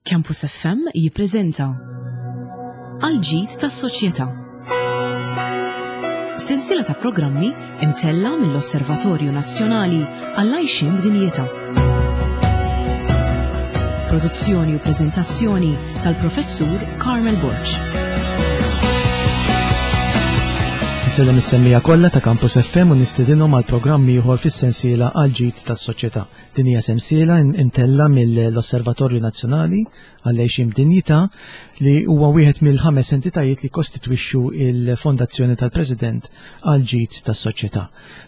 Campus FM jippreżenta Għal ġid tas-soċjetà. Sensiela ta' programmi imtella mill-Osservatorju Nazzjonali għall-Għajxien b'Dinjità. Produzzjoni u preżentazzjoni tal-Professur Carmel Borg. Nsellem is-semmija kollha ta' Campus FM u nistedinhom għal programm ieħor fis-sensiela għal ġid tas-soċjetà. Din hija sensiela imtella mill-Osservatorju Nazzjonali għall-Għixien b'Dinjità li huwa wieħed mill-ħames entitajiet li kostitwixxu il-Fondazzjoni tal-President għal ġid tas-soċjetà.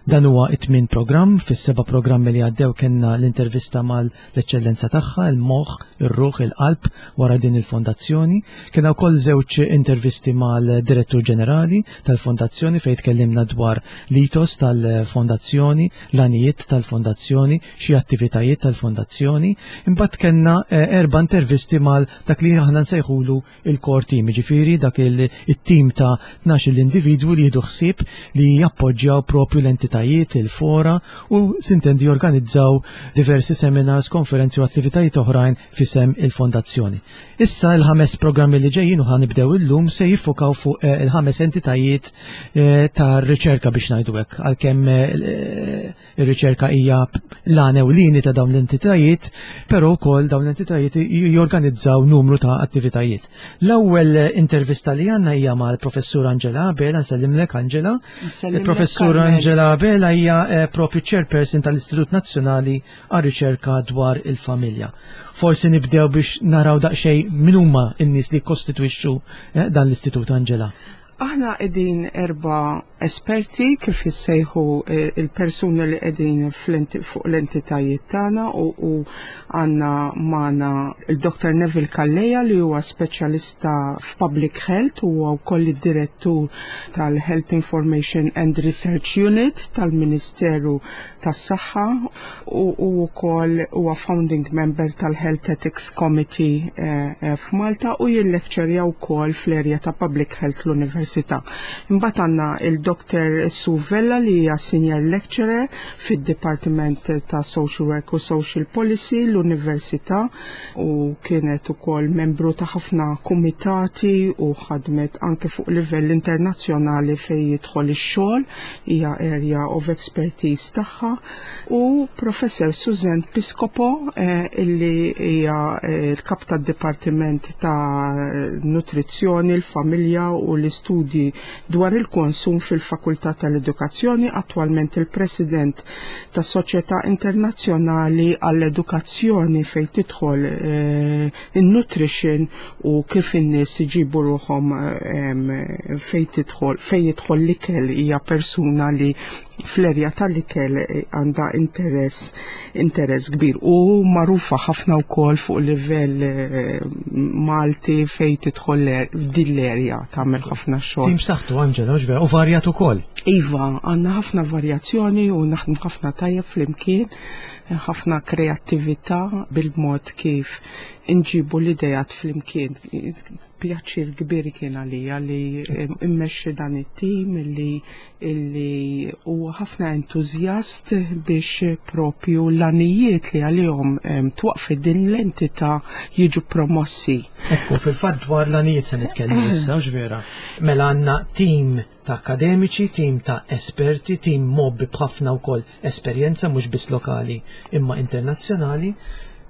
Dan huwa it-tmien programm, fis-seba' programmi li għaddew kellna l-intervista mal-eċċellenza tagħha, il-moħħ, ir-ruħ, il-qalb wara din il-fondazzjoni. Kellna wkoll żewġ intervisti mal-Direttur Ġenerali tal-Fondazzjoni fejn tkellimna dwar l-ethos tal-fondazzjoni, l-għanijiet tal-fondazzjoni, xi attivitajiet tal-fondazzjoni. Imbagħad kellna eh, erba' intervisti mal dak li aħna nsejħulu il-core team, ġifieri dak il-team ta' 12 l-individwu li jieħdu ħsieb li jappoġġjaw propju l-entitajiet, il-fora u sintendi jorganizzaw diversi seminars, konferenzi u attivitajiet oħrajn fisem il-fondazzjoni. Issa il-ħames programmi li ġejjin u ħanibdew illum se jiffokaw fuq eh, il-ħames entitajiet eh, ta' riċerka biex ngħidu hekk, għalkemm eh, ir-riċerka hija l-għan ewlieni ta' dawn l-entitajiet, però wkoll dawn l-entitajiet jorganizzaw numru ta' attivitajiet. L-ewwel intervista li għandna hija mal-Professur Angela Abela, nsellimlek Angela. Il-Professur Angela Abela hija propju chairperson tal-Istitut Nazzjonali għar-Riċerka dwar il-Familja. Forsi nibdew biex naraw daqsxejn min huma n-nies li kkostitwixxu eh, dan l-Istitut Angela. Aħna qegħdin erba' esperti kif jissejħu eh, il-persuni li qegħdin fuq l-entitajiet tagħna u għandna magħna il-Dr. Neville Calleja li huwa speċjalista f'Public Health u huwa wkoll id-direttur tal-Health Information and Research Unit tal-Ministeru tas-Saħħa u wkoll huwa founding member tal-Health Ethics Committee eh, eh, f'Malta u jillekċerja wkoll fl-erja ta' Public Health l-Università. Imbagħad għandna il-Dr. Sue Vella li hija senior lecturer fid-Dipartiment ta' Social Work u Social Policy l-Università u kienet ukoll membru ta' ħafna kumitati u ħadmet anke fuq livell internazzjonali fejn jidħol ix-xogħol hija area of expertise tagħha, u Professor Suzanne Piscopo eh, illi hija eh, l-kap tad-Dipartiment ta' Nutrizzjoni, l-Familja u l-Istudji dwar il-Konsum fil-Fakultà tal-Edukazzjoni, attwalment il-President tas Soċjetà Internazzjonali għall-Edukazzjoni fejn tidħol eh, in-nutrition u kif in-nies iġibu ruħhom fejn tidħol fejn jidħol l-ikel hija persuna li fl-erja tal-ikel għandha interess interess kbir u magħrufa ħafna wkoll fuq livell eh, Malti fejn tidħol f'din l-erja tagħmel ħafna xogħol. Tim saħtu Angela, vera, u varjat ukoll. Iva, għandna ħafna varjazzjoni u naħdmu ħafna tajjeb flimkien, ħafna kreattività bil-mod kif inġibu l-idejat flimkien. Pjaċir kbir kien għalija li immexxi dan it-tim li illi huwa ħafna entużjast biex propju l-għanijiet li għalihom twaqfet din l-entità jiġu promossi. Ekku, fil-fatt dwar l-għanijiet se nitkellmu issa, vera. Mela għandna tim ta' akademiċi, tim ta' esperti, tim mgħobbi b'ħafna wkoll esperjenza mhux biss lokali imma internazzjonali,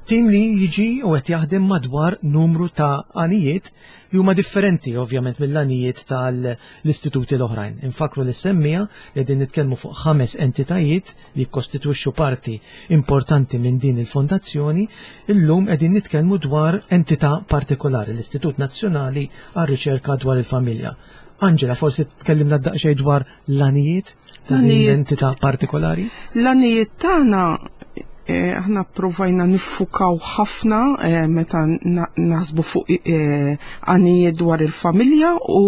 tim li jiġi u qed jaħdem madwar numru ta' għanijiet li huma differenti ovvjament mill-għanijiet tal-istituti l-oħrajn. Infakru li semmija li qegħdin nitkellmu fuq ħames entitajiet li jikkostitwixxu parti importanti minn din il-fondazzjoni, illum qegħdin nitkellmu dwar entità partikolari, l-Istitut Nazzjonali għar-Riċerka dwar il-Familja. Angela, forsi tkellimna daqsxejn dwar l-għanijiet ta' din l-entità partikolari? L-għanijiet tagħna eh, aħna provajna niffukaw ħafna eh, meta naħsbu fuq eh, għanijiet dwar il-familja u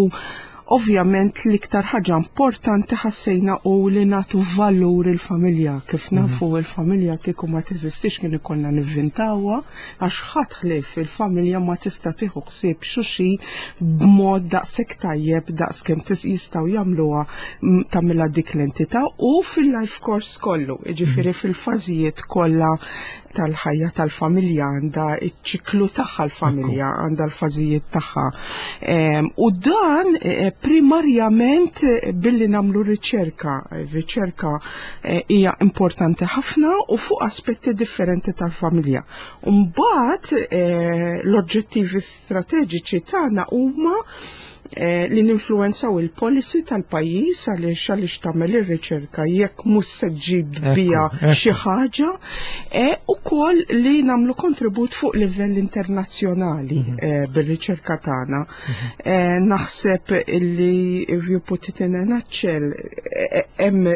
Ovvjament l-iktar ħaġa importanti ħassejna u li nagħtu valur il-familja. Kif mhm. nafu il-familja kieku ma teżistix kien ikollna nivvintawha għax ħadd ħlief il-familja ma tista' tieħu ħsieb xulxin b'mod daqshekk tajjeb daqs kemm jistgħu jagħmluha tagħmilha dik l-entità u fil-life course kollu, jiġifieri mhm. fil-fażijiet kollha. tal-ħajja tal-familja, għandha ċ-ċiklu tagħha l-familja, għandha l-fażijiet tagħha. U dan primarjament billi nagħmlu riċerka. Ir-riċerka hija importanti ħafna u fuq aspetti differenti tal-familja. Mbagħad l-oġġettivi strateġiċi tagħna huma li ninfluwenzaw il-policy tal-pajjiż għaliex għaliex tagħmel ir-riċerka jekk mhux se ġġib biha xi ħaġa, ukoll li nagħmlu kontribut fuq livell internazzjonali bir-riċerka tagħna. Naħseb li if you put it in a nutshell, hemm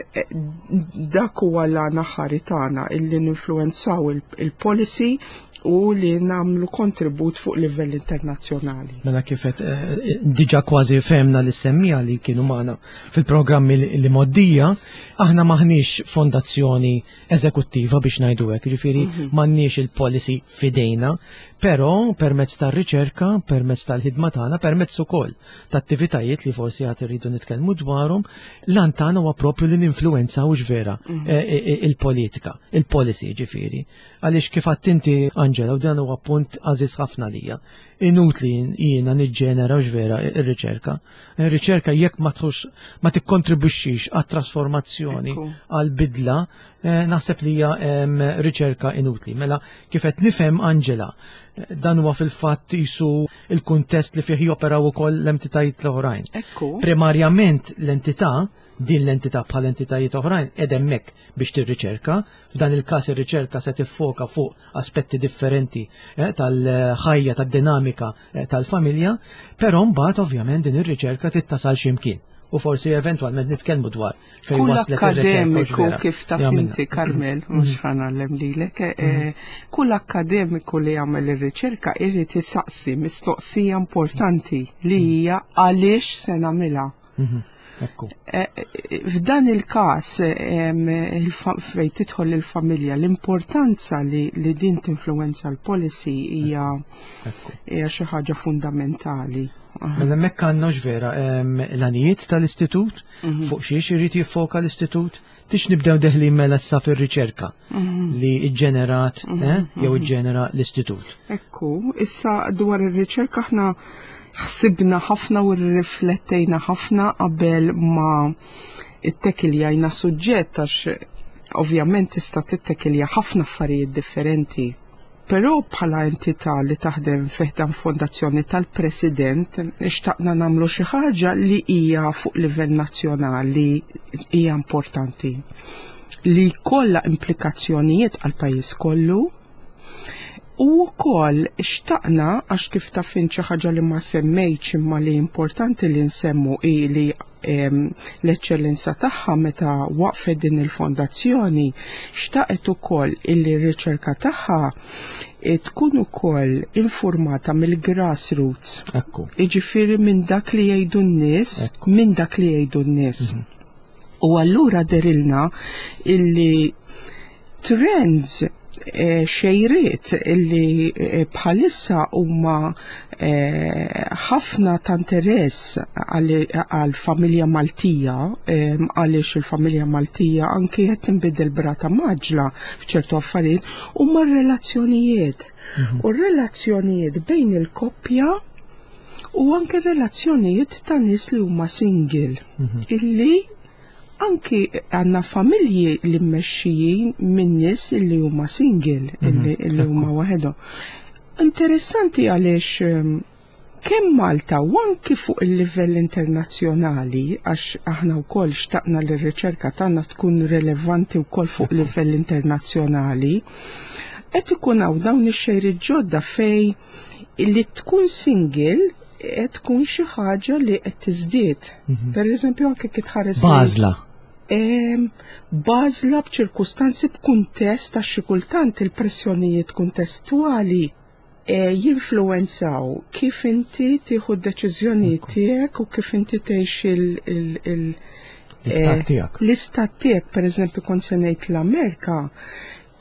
dak huwa l-għan aħħari tagħna, illi ninfluwenzaw il-policy u li nagħmlu kontribut fuq livell internazzjonali. Mela kif qed diġà kważi fehmna li semmija li kienu magħna fil-programmi li moddija, aħna maħniex fondazzjoni eżekuttiva biex ngħidu hekk, jiġifieri m'għandniex il-policy f'idejna, però permezz tar-riċerka, permezz tal-ħidma tagħna, permezz ukoll ta' attivitajiet li forsi għad irridu nitkellmu dwarhom, l-għan tagħna huwa propju li ninfluwenzaw vera il-politika, il-policy ġifieri. Għaliex kif għedt inti, Angela, u dan huwa punt għażiż ħafna lija, inutli jiena niġġenera vera ir-riċerka. Ir-riċerka jekk ma tħux, ma tikkontribwixxix għat-trasformazzjoni, għal-bidla, naħseb li hija riċerka inutli. Mela kif qed nifhem, Angela, dan huwa fil-fatt jisu il-kuntest li fih joperaw ukoll l-entitajiet l-oħrajn. Primarjament l-entità, din l-entità bħal entitajiet oħrajn qed hemmhekk biex tirriċerka. F'dan il-każ ir-riċerka se tiffoka fuq aspetti differenti tal-ħajja, tad-dinamika tal-familja, però mbagħad ovvjament din ir-riċerka tittasal x'imkien. U forsi eventwalment nitkellmu dwar fejn Kull waslet ir-riċerka akkademiku vera. Kif taf Jagħmilna. inti, Carmel, mhux ħa ngħallem lilek, kull akkademiku li jagħmel ir-riċerka irid isaqsi mistoqsija importanti li hija għaliex se nagħmilha. Ekku. F'dan il-każ fejn tidħol il-familja, l-importanza li din tinfluwenza l-policy hija xi ħaġa fundamentali. Mela hemmhekk għandna vera l-għanijiet tal-istitut, fuq xiex irid jiffoka l-istitut, tix nibdew deħlin mela issa fir-riċerka li ġġenerat, jew iġġenera l-istitut. Ekku, issa dwar ir-riċerka aħna ħsibna ħafna u rriflettejna ħafna qabel ma ittekiljajna suġġett, għax ovvjament tista' tittekilja ħafna affarijiet differenti. Però bħala entità li taħdem fi ħdan fondazzjoni tal-President, xtaqna nagħmlu xi ħaġa li hija fuq livell nazzjonali hija importanti, li kollha implikazzjonijiet għal pajjiż kollu. U wkoll xtaqna, għax kif taf int xi ħaġa li ma semmejtx imma li importanti li nsemmu hi li l-eċċellenza tagħha meta waqfet din il-fondazzjoni xtaqet ukoll illi r-riċerka tagħha tkun ukoll informata mill-grassroots. Jiġifieri minn dak li jgħidu n-nies, minn dak li jgħidu n-nies. U allura dehrilna illi trends, xejriet illi bħalissa huma ħafna ta' interess għal familja Maltija, għaliex il-familja Maltija anki qed tinbidel b'rata mgħaġġla f'ċertu affarijiet, huma r-relazzjonijiet. U r-relazzjonijiet bejn il-koppja u anke relazzjonijiet ta' nies li huma single, illi anki għandna familji li mmexxijin minn nies illi huma single, illi huma waħedhom. Interessanti għaliex kemm Malta u anki fuq il-livell internazzjonali, għax aħna wkoll xtaqna li r-riċerka tagħna tkun relevanti wkoll fuq livell internazzjonali, qed ikun hawn dawn ix-xejriet ġodda fej li tkun single qed tkun xi ħaġa li qed tiżdied. Per eżempju, anke kif tħares Bażla. Bażla b'ċirkustanzi, b'kuntest, għax xi kultant il-pressjonijiet kuntestwali jinfluwenzaw kif inti tieħu d-deċiżjonijiet tiegħek u kif inti tgħix l-istat tiegħek. L-istat tiegħek, per eżempju, kont se ngħid l-Amerika,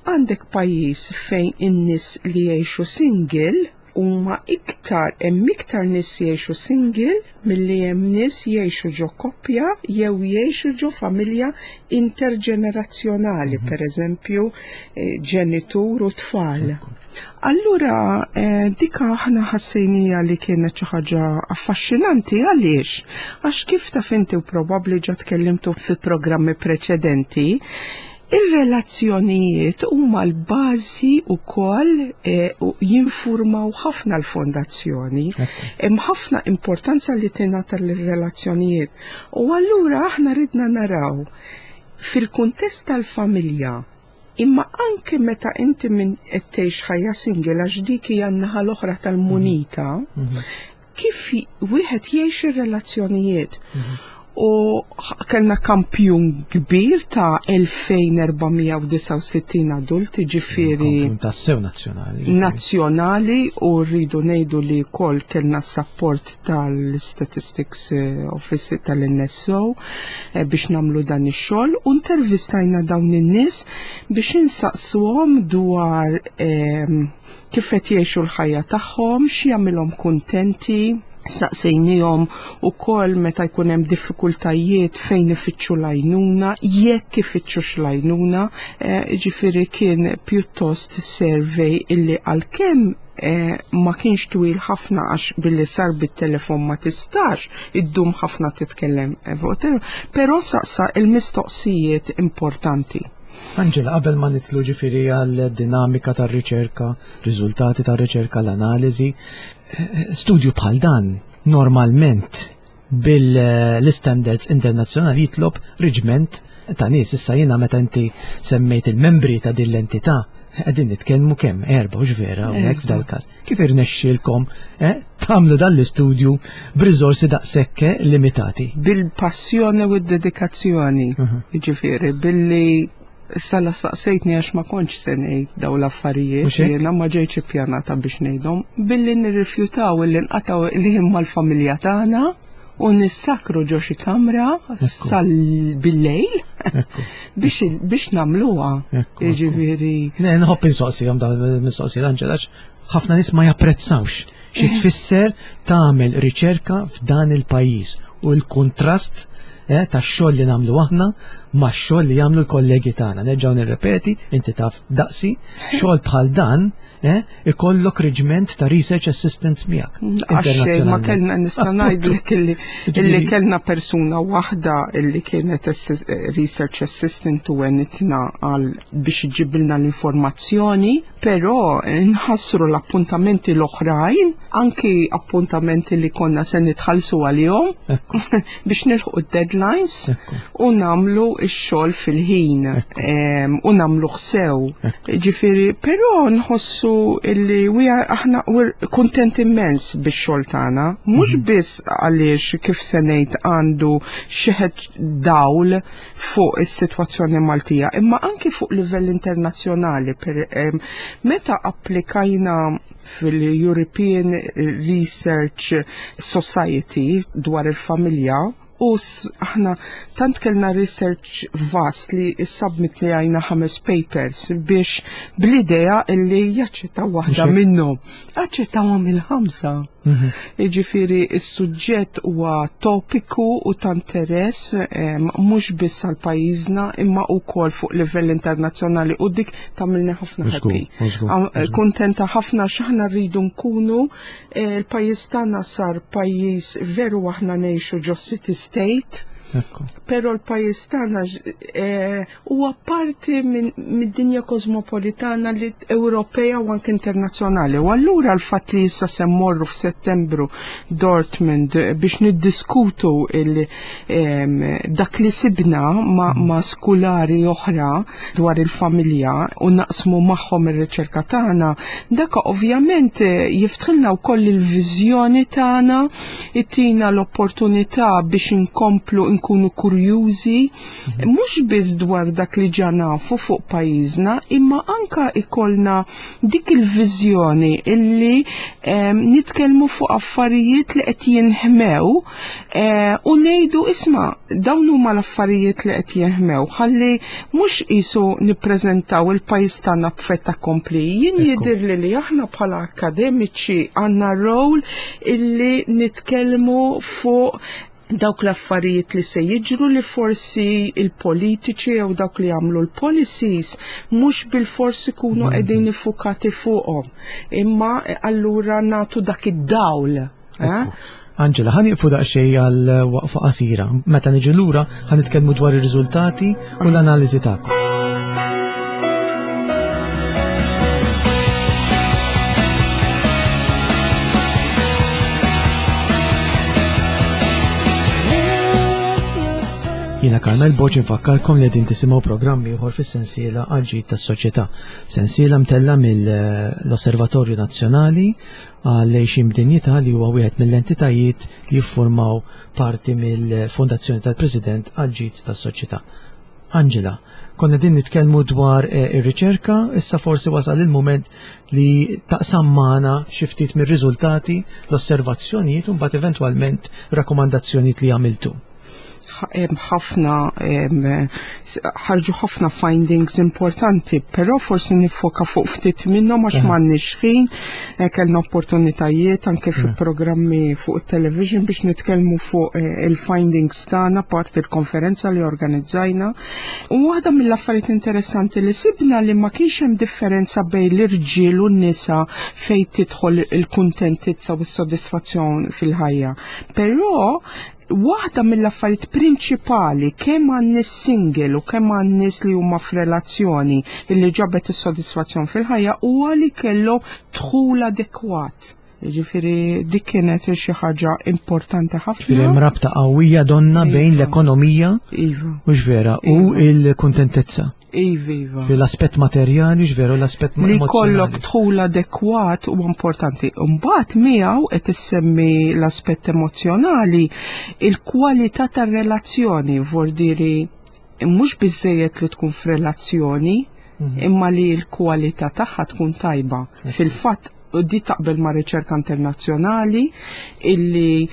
għandek pajjiż fejn in-nies li jgħixu single. Huma iktar hemm iktar nies jgħixu single milli hemm nies jgħixu ġo koppja jew jgħixu ġo familja interġenerazzjonali, pereżempju ġenitur u tfal. Allura dika aħna ħassejnija li kienet xi ħaġa affaxxinanti għaliex? Għax kif taf inti u probabbli ġa tkellimtu fi programmi preċedenti, ir-relazzjonijiet huma l-bażi wkoll u jinfurmaw ħafna l-fondazzjoni. Hemm ħafna importanza li tingħata lir-relazzjonijiet. U allura aħna ridna naraw fil-kuntest tal-familja, imma anke meta inti minn qed tgħix ħajja single għax dik hija n-naħa l-oħra tal-munita, kif wieħed jgħix ir-relazzjonijiet. U kellna kampjun kbir ta' 2469 adulti, ġifieri Kampjun tassew nazzjonali. Nazzjonali, u rridu ngħidu li wkoll kellna s-support tal-Statistics Office tal-NSO biex nagħmlu dan ix-xogħol, u intervistajna dawn in-nies biex insaqsuhom dwar kif qed jgħixu l-ħajja tagħhom, x'jagħmilhom kuntenti. Saqsejnihom ukoll meta jkun hemm diffikultajiet fejn ifittxu l-għajnuna, jekk ifittxux l-għajnuna, ġifieri kien pjuttost survey illi għalkemm ma kienx twil ħafna għax billi sar bit-telefon ma tistax iddum ħafna titkellem, però saqsa il-mistoqsijiet importanti. Angela, qabel ma nitlu ġifieri għal dinamika tar-riċerka, riżultati tar-riċerka, l-analiżi, studju bħal dan normalment bil-standards internazzjonali jitlob reġment ta' nies. Issa jiena meta inti semmejt il-membri ta' din l-entità, qegħdin nitkellmu kemm erba', hux vera hawnhekk f'dal-każ. Kif irnexxielkom tagħmlu dan l-istudju b'riżorsi daqshekk limitati? Bil-passjoni u d-dedikazzjoni, jiġifieri billi issa la saqsejtni għax ma kontx se ngħid dawn l-affarijiet, Mhux hekk? jiena ma ġejtx ippjanata biex ngħidhom, billi nirrifjutaw illi nqataw il-ħin mal-familja tagħna u nissakru ġo xi kamra sal bil-lejl biex nagħmluha. Jiġifieri. Ne, nħobb insoqsihom dawn il-mistoqsijiet, Angela, għax ħafna nies ma japprezzawx xi tfisser tagħmel riċerka f'dan il-pajjiż u l-kuntrast tax-xogħol li nagħmlu aħna max-xogħol li jagħmlu l-kollegi tagħna. Nerġgħu nirrepeti, inti taf daqsi, xogħol bħal dan ikollok reġment ta' research assistants miegħek. Għax ma Internazzjonalment. kellna nista' ngħidlek illi kellna persuna waħda illi kienet research assistant u għenitna għal biex iġibilna l-informazzjoni, però nħassru l-appuntamenti l-oħrajn, anki appuntamenti li konna se nitħallsu għalihom biex nilħqu d-deadlines u nagħmlu x-xogħol fil-ħin, u nagħmluh sew. Ġifieri, però nħossu illi we are, aħna we're kuntent immens bix-xogħol tagħna, mhux biss għaliex kif se ngħid għandu xeħet dawl fuq is-sitwazzjoni Maltija, imma anki fuq livell internazzjonali. Meta applikajna fil-European Research Society dwar il-familja, u aħna tant kellna research vast li s-submit li għajna 5 papers biex bl-idea illi jaċċettaw waħda minnhom. Aċċettawhom il-5. Jiġifieri is-suġġett huwa topiku u ta' interess mhux biss għal pajjiżna imma wkoll fuq livell internazzjonali, u dik tagħmilni ħafna happy. Kuntenta ħafna x'aħna rridu nkunu l-pajjiż tagħna sar pajjiż veru aħna ngħixu ġo city state, però l-pajjiż tagħna huwa parti mid-dinja kosmopolitana li Ewropea u anke internazzjonali. U allura l-fatt li issa se mmorru f'Settembru Dortmund biex niddiskutu dak li sibna ma' skulari oħra dwar il-familja u naqsmu magħhom ir-riċerka tagħna, dak ovvjament jiftħilna wkoll il-viżjoni tagħna, ittina l-opportunità biex inkomplu nkunu kurjużi mhux biss dwar dak li ġa nafu fuq pajjiżna, imma anka ikollna dik il-viżjoni illi nitkellmu fuq affarijiet li qed jinħmew eh, u ngħidu isma' dawn huma l-affarijiet li qed jinħmew ħalli mhux qisu nippreżentaw il-pajjiż tagħna b'fett accompli. Jien jidhirli li aħna bħala akademiċi għandna rol illi nitkellmu fuq dawk l-affarijiet li se jiġru li forsi il-politiċi jew dawk li jagħmlu l-policies mhux bil-fors ikunu qegħdin iffukati fuqhom. Imma eh, allura nagħtu dak id-dawl. Eh? Angela, ħa nieqfu daqsxejn għal waqfa qasira. Meta niġu lura ħa nitkellmu dwar ir-riżultati u l-analiżi tagħkom. Jiena Carmel Boċ infakkarkom li qegħdin tisimgħu programm ieħor fis-sensiela għal tas-soċjetà. Sensiela mtella mill-Osservatorju Nazzjonali għall-Għixien b'Dinjità li huwa wieħed mill-entitajiet li jiffurmaw parti mill-Fondazzjoni tal-President għall-ġid tas-soċjetà. Angela, konna din nitkellmu dwar eh, ir-riċerka, issa forsi wasal il-moment li taqsam magħna xi ftit mir-riżultati, l-osservazzjonijiet u mbagħad eventwalment rakkomandazzjonijiet li għamiltu ħafna ħarġu ħafna findings importanti, però forsi nifoka fuq ftit minnhom għax m'għandniex ħin, eh, kellna opportunitajiet anke fi programmi fuq it-television biex nitkellmu fuq eh, il-findings tagħna part il-konferenza li organizzajna. U waħda mill-affarijiet interessanti li sibna li ma kienx hemm differenza bejn l-irġiel u n-nisa fejn tidħol il-kuntentizza u s-sodisfazzjon fil-ħajja. Però waħda mill-affarijiet prinċipali kemm għan-nies single u kemm għan-nies li huma f'relazzjoni illi ġabet is-sodisfazzjon fil-ħajja huwa li kellu dħul adekwat. Jiġifieri dik kienet xi ħaġa importanti ħafna. Ġifieri hemm rabta qawwija donna bejn iva. l-ekonomija iva. mhux vera u iva. l-kuntentezza. Iva, iva. L-aspett materjali, ġveru, l-aspett Li kollok dħul adekwat u importanti. Mbagħad miegħu qed issemmi l-aspett emozjonali, il-kwalità tar-relazzjoni, vordiri mhux biżejjed li tkun f'relazzjoni, mhm. imma li l-kwalità tagħha tkun tajba. Fil-fatt di taqbel ma' riċerka internazzjonali illi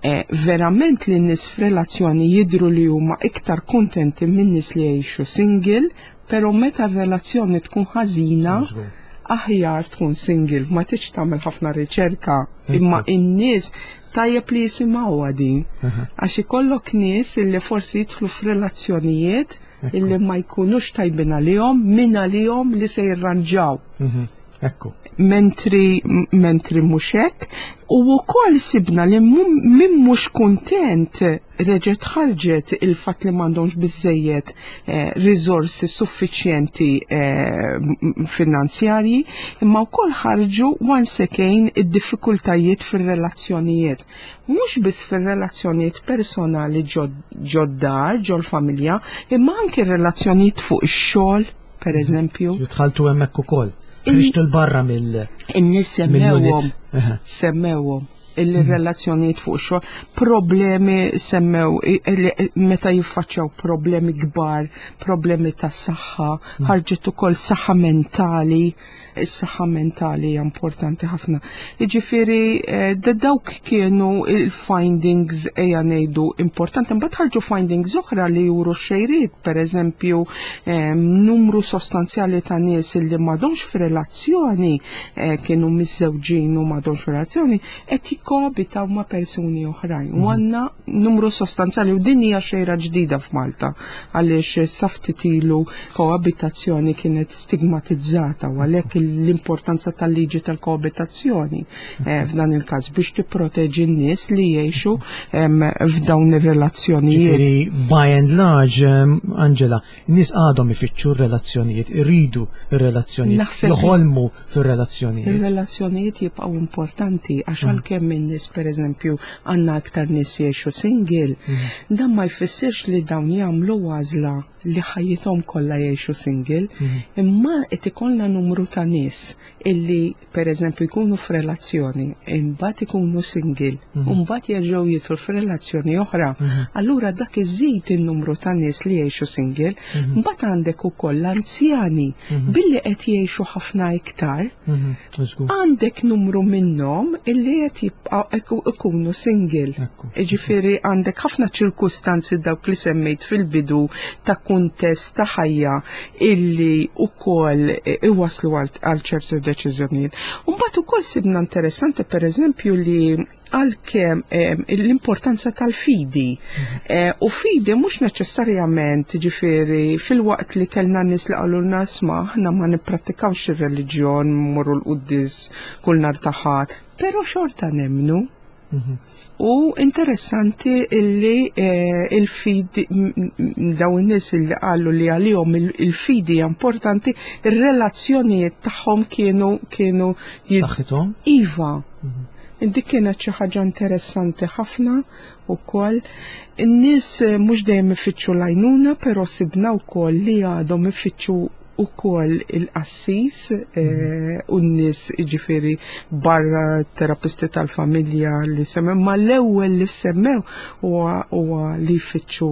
eh, verament li n-nies f'relazzjoni jidru li huma iktar kuntenti minn nies li jgħixu single, pero meta r-relazzjoni tkun ħażina, aħjar tkun single, ma tiġ tagħmel ħafna riċerka, imma in-nies tajjeb li jisimgħuha din. Għax ikollok nies illi forsi jidħlu f'relazzjonijiet illi ma jkunux tajbin għalihom, min għalihom li se jirranġaw. Mhm. Ekku. Mentri, mentri mhux hekk. U wkoll sibna li min mhux kuntent reġgħet ħarġet il-fatt li m'għandhomx biżejjed eh, riżorsi suffiċjenti eh, finanzjarji, imma wkoll ħarġu once again id-diffikultajiet fir-relazzjonijiet. Mhux biss fir-relazzjonijiet personali ġod-dar, ġol-familja, imma anke relazzjonijiet fuq ix-xogħol per eżempju. Dħaltu hemmhekk ukoll. Ħriġtu l-barra mill. In-nies semmewhom. Semmewhom il-relazzjonijiet fuq xogħol, problemi semmew meta jiffaċċjaw problemi kbar, problemi ta' saħħa, mm. ħarġet ukoll saħħa mentali, is-saħħa mentali hija importanti ħafna. Jiġifieri eh, dawk kienu il-findings ejja ngħidu importanti. Mbagħad ħarġu findings oħra li juru xejriet, pereżempju eh, numru sostanzjali ta' nies li m'għadhomx f'relazzjoni eh, kienu miżżewġin u m'għadhomx f'relazzjoni qed jikkoabitaw ma' persuni oħrajn. U mhm. għandna numru sostanzjali u din hija xejra ġdida f'Malta għaliex sa ftit ilu koabitazzjoni kienet stigmatizzata u għalhekk l-importanza tal-liġi tal-koabitazzjoni eh, f'dan il-każ biex tipproteġi n-nies li jgħixu f'dawn ir-relazzjonijiet. By and large, Angela, n-nies għadhom ifittxu r-relazzjonijiet, iridu r-relazzjonijiet, joħolmu fir-relazzjonijiet. Ir-relazzjonijiet jibqgħu importanti għax mm. għalkemm in-nies pereżempju għandna aktar nies jgħixu single, mm. dan ma jfissirx li dawn jagħmlu għażla. li ħajjithom kollha jgħixu single, imma qed ikollna numru ta' nies illi pereżempju jkunu f'relazzjoni, imbagħad ikunu single, u mbagħad jerġgħu jidħlu f'relazzjoni oħra. Allura dak iżid in-numru ta' nies li jgħixu single, mbagħad għandek ukoll l-anzjani billi qed jgħixu ħafna iktar, għandek numru minnhom illi qed jibqgħu ikunu single. Jiġifieri għandek ħafna ċirkustanzi dawk li semmejt fil-bidu ta' kuntest ta' ħajja illi wkoll iwasslu għal ċertu deċiżjonijiet. U mbagħad ukoll sibna interessanti pereżempju li għalkemm l-importanza tal-fidi. U fidi mhux neċessarjament ġifieri filwaqt li kellna nies li qalulna isma' aħna ma nipprattikawx ir-reliġjon, mmorru l-quddies kull nhar ta' Ħadd, però xorta nemmnu. U interessanti illi il-fidi dawn in-nies illi qalu li għalihom il-fidi hija importanti, ir-relazzjonijiet tagħhom kienu kienu Saħħithom? Iva. Dik kienet xi ħaġa interessanti ħafna wkoll. In-nies mhux dejjem ifittxu l-għajnuna, però sibna wkoll li għadhom ifittxu ukoll il-qassis u n-nies jiġifieri barra terapisti tal-familja li semmew, ma l-ewwel li semmew huwa li jfittxu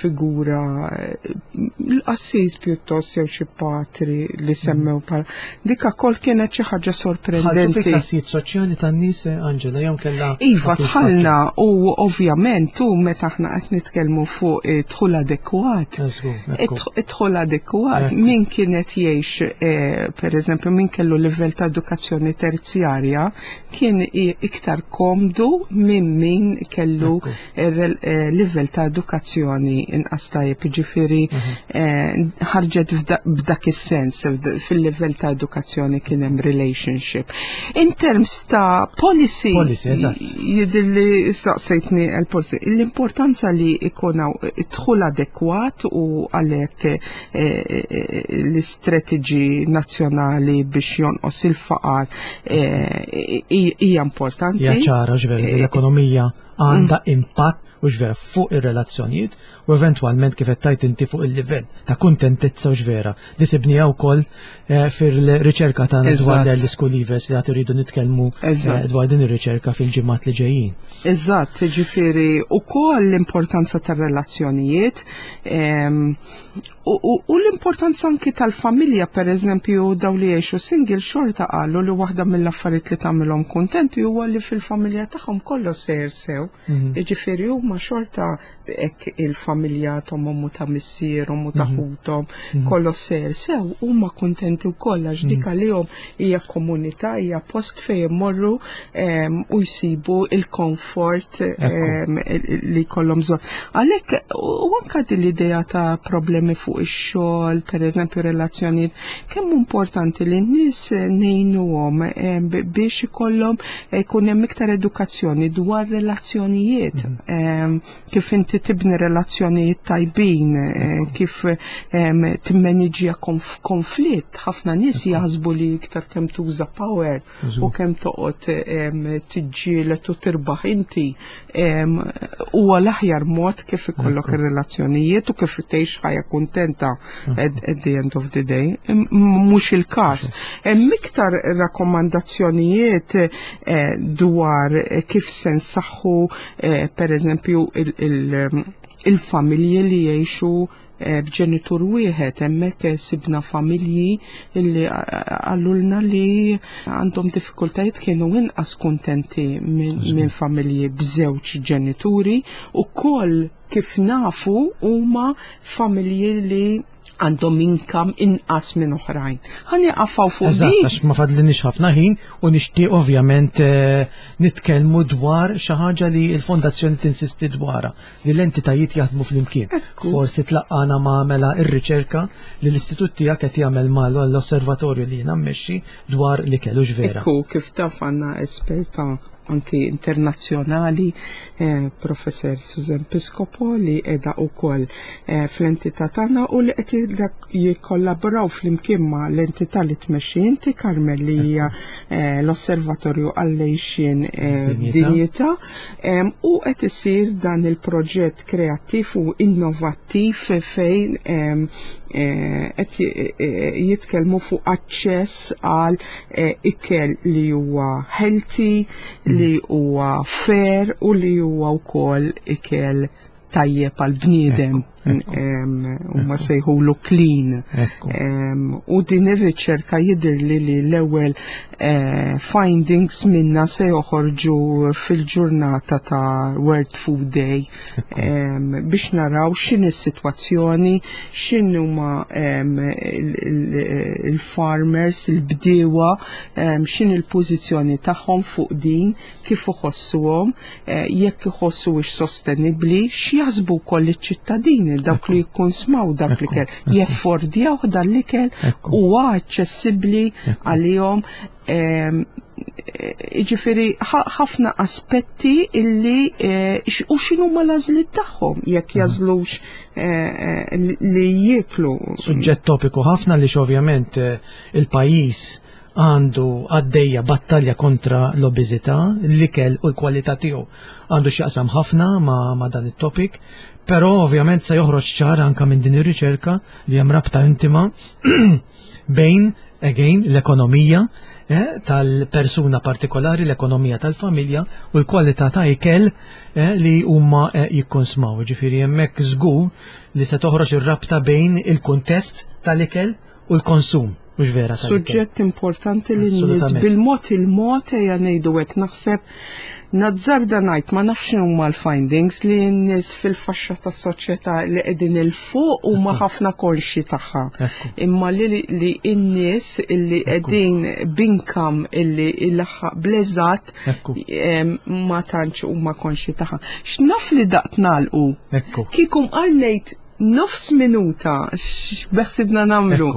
figura l-qassis pjuttost jew xi patri li semmew bħala. Dik ukoll kienet xi ħaġa sorprendenti. Dħaltu fil-klassijiet soċjali tan-nies, Angela, jew kellha Iva, dħalna u ovvjament u meta aħna qed nitkellmu fuq dħul adekwat. Id-dħul adekwat min kienet jgħix eh, pereżempju min kellu livell ta' edukazzjoni terzjarja kien iktar komdu minn min kellu eh, livell ta' edukazzjoni inqas tajjeb, ġifieri mhm. eh, ħarġet b'dak is-sens fil-livell ta' edukazzjoni kien hemm relationship. In terms ta' policy, policy jidilli saqsejtni l-policy, l-importanza li ikun dħul adekwat u għalhekk eh, l-istrateġi nazzjonali biex jonqos il-faqar hija importanti. Hija ċara ġveri l-ekonomija għandha impatt u x'vera fuq ir-relazzjonijiet u eventwalment kif qed tgħid inti fuq il-livell ta' kuntentizza u x'vera li sibniha wkoll eh, fil-riċerka tagħna dwar l-Early School Leavers li għad iridu nitkellmu eh, dwar din ir-riċerka fil-ġimgħat li ġejjin. Eżatt, ġifieri ukoll l-importanza tar-relazzjonijiet ehm, U l-importanza anki tal-familja, per eżempju, daw li jgħixu single xorta qalu li waħda mill-affarijiet li tagħmilhom kuntenti huwa li fil-familja tagħhom kollox sejjer sew. Mhm. Jiġifieri huma xorta hekk il-familja tagħhom u ta' missierhom u ta' mhm. ħuthom mhm. kollox sejjer sew, huma kuntenti wkoll għax dik għalihom hija komunità, hija post fejn imorru ehm, u jsibu il-komfort ehm, li jkollhom bżonn. Għalhekk u anke din l-idea ta' problemi fuq ix-xogħol, pereżempju relazzjonijiet, kemm importanti li n-nies ngħinuhom ehm, biex ikollhom jkun hemm iktar edukazzjoni dwar relazzjonijiet, mhm. kif inti tibni relazzjonijiet tajbin, eh, kif timmaniġġja konflitt. Ħafna nies jaħsbu li iktar kemm tuża power u kemm toqgħod tiġġieled u tirbaħ inti huwa l-aħjar mod kif ikollok ir-relazzjonijiet u kif tgħix ħajja kuntenta at the end of the day. Mhux il-każ. Hemm iktar rakkomandazzjonijiet eh, dwar kif se nsaħħu eh, pereżempju il-familji li jgħixu eh, b'ġenitur wieħed hemmhekk sibna familji li għallulna li għandhom diffikultajiet kienu inqas kuntenti minn familji b'żewġ ġenituri u koll kif nafu huma familji li għandhom inkam inqas minn oħrajn. Ħa nieqafaw fuq Eżatt, għax ma fadlinix ħafna ħin u nixtieq ovvjament eh, nitkellmu dwar xi ħaġa li l-fondazzjoni tinsisti dwarha li l-entitajiet jaħdmu flimkien. Forsi tlaqqana ma' mela ir-riċerka li l-istitut tiegħek qed jagħmel mal l-osservatorju li jiena mmexxi dwar li kellu vera. Ekku, kif taf għandna esperta anki internazzjonali, eh, Professor Susan Piscopo li qiegħda wkoll eh, fl-entità tagħna u li qed jikkollaboraw flimkien ma' l-entità li tmexxi inti Carmel li hija eh, l-Osservatorju għall-Għixien Dinjità u qed isir dan il-proġett kreattiv u innovattiv fejn qed jitkellmu fuq aċċess għal ikel li huwa healthy, li huwa fair u li huwa wkoll ikel tajjeb għal bniedem huma sejħulu clean. U din ir-riċerka jidhirli li l-ewwel eh, findings minna se joħorġu fil-ġurnata ta' World Food Day biex naraw x'inhi s-sitwazzjoni, x'inhuma il-farmers, il-bdiewa, x'inhi l-pożizzjoni tagħhom fuq din, kif iħossuhom, eh, jekk iħossuhiex sostenibbli, x'jaħsbu wkoll iċ-ċittadini dawk li jikkonsmaw dak l-ikel, jeffordjaw dan l-ikel huwa aċċessibbli għalihom. Ehm, eh, ġifiri ħafna aspetti illi eh, u xinu ma lażlit tagħhom jekk mhm. jażlux li jieklu. Suġġett topiku ħafna li ovvjament il-pajjiż għandu għaddejja battalja kontra l-obeżità, l-ikel u l-kwalità tiegħu għandu x'jaqsam ħafna ma, ma dan it-topic, però ovvjament se joħroġ ċar anka minn din ir-riċerka li hemm rabta intima bejn again l-ekonomija eh, tal-persuna partikolari, l-ekonomija tal-familja u l-kwalità ta' ikel eh, li huma eh, jikkonsmaw. Ġifieri hemmhekk żgur li se toħroġ ir-rabta bejn il-kuntest tal-ikel u l-konsum. Mhux vera Suġġett importanti li n-nies bil-mod il-mod ejja ngħidu hekk naħseb nazzarda ngħid ma nafx huma l-findings li n-nies fil-faxxa tas-soċjetà li qegħdin il fuq huma ħafna konxji tagħha. Imma li li n-nies li qegħdin b'income illi ilaħħaq bl-eżatt ma tantx huma konxji tagħha. X'naf li daqt nagħlqu. Kieku mqar ngħid nofs minuta x'beħsibna nagħmlu.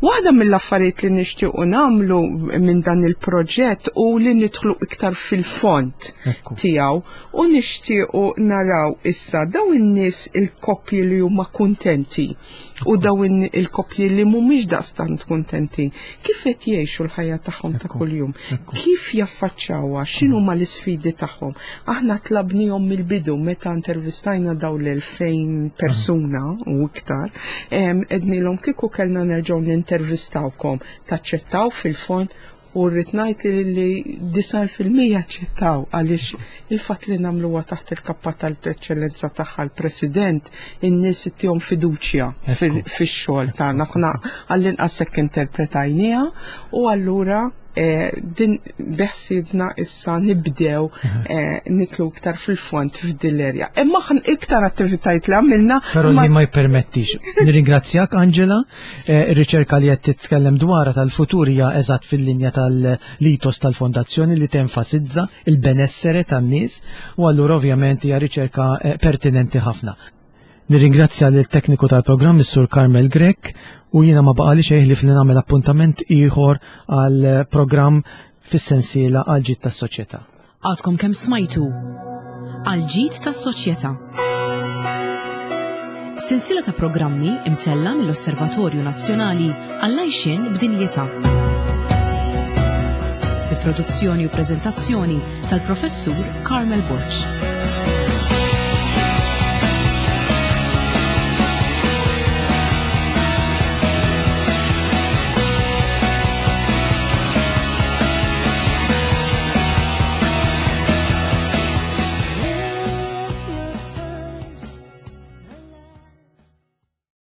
Waħda mill-affarijiet li nixtiequ nagħmlu minn dan il-proġett u li nidħlu iktar fil-fond tiegħu u nixtiequ naraw issa dawn in-nies il-koppji li huma kuntenti u dawn il-koppji li mhumiex daqstant kuntenti kif qed jgħixu l-ħajja tagħhom ta' kuljum, kif jaffaċċawha, x'inhuma l-isfidi tagħhom. Aħna tlabnihom mill-bidu meta intervistajna dawn l-2000 persuna u iktar, għednilhom kieku kellna nerġgħu nintervistawkom, taċċettaw fil-fond u rrid ngħid li 90% aċċettaw għaliex il-fatt li nagħmluha taħt il-kappa tal-eċċellenza tagħha l-President in-nies ittihom fiduċja fix-xogħol tagħna. Aħna għall-inqas hekk interpretajniha u allura eh, din beħsibna issa nibdew eh, nitlu iktar fil-fond f'din l-erja. Imma iktar attivitajiet li għamilna. Però li ma jippermettix. Nirringrazzjak Angela, eh, ir-riċerka li qed titkellem dwarha tal-futur hija eżatt fil-linja tal-litos tal-fondazzjoni li tenfasizza il-benessere tan-nies u allura ovvjament hija riċerka eh, pertinenti ħafna. Nirringrazzja lil tekniku tal-programm is-Sur Carmel Grech u jiena ma baqali xejn li nagħmel appuntament ieħor għal programm fis-sensiela għal ġid tas-soċjetà. Għadkom kemm smajtu għal ġid tas-soċjetà. Silsila ta' programmi imtella mill-Osservatorju Nazzjonali għall-Għajxien b'Dinjità. Bi produzzjoni u preżentazzjoni tal-Professur Carmel Borg.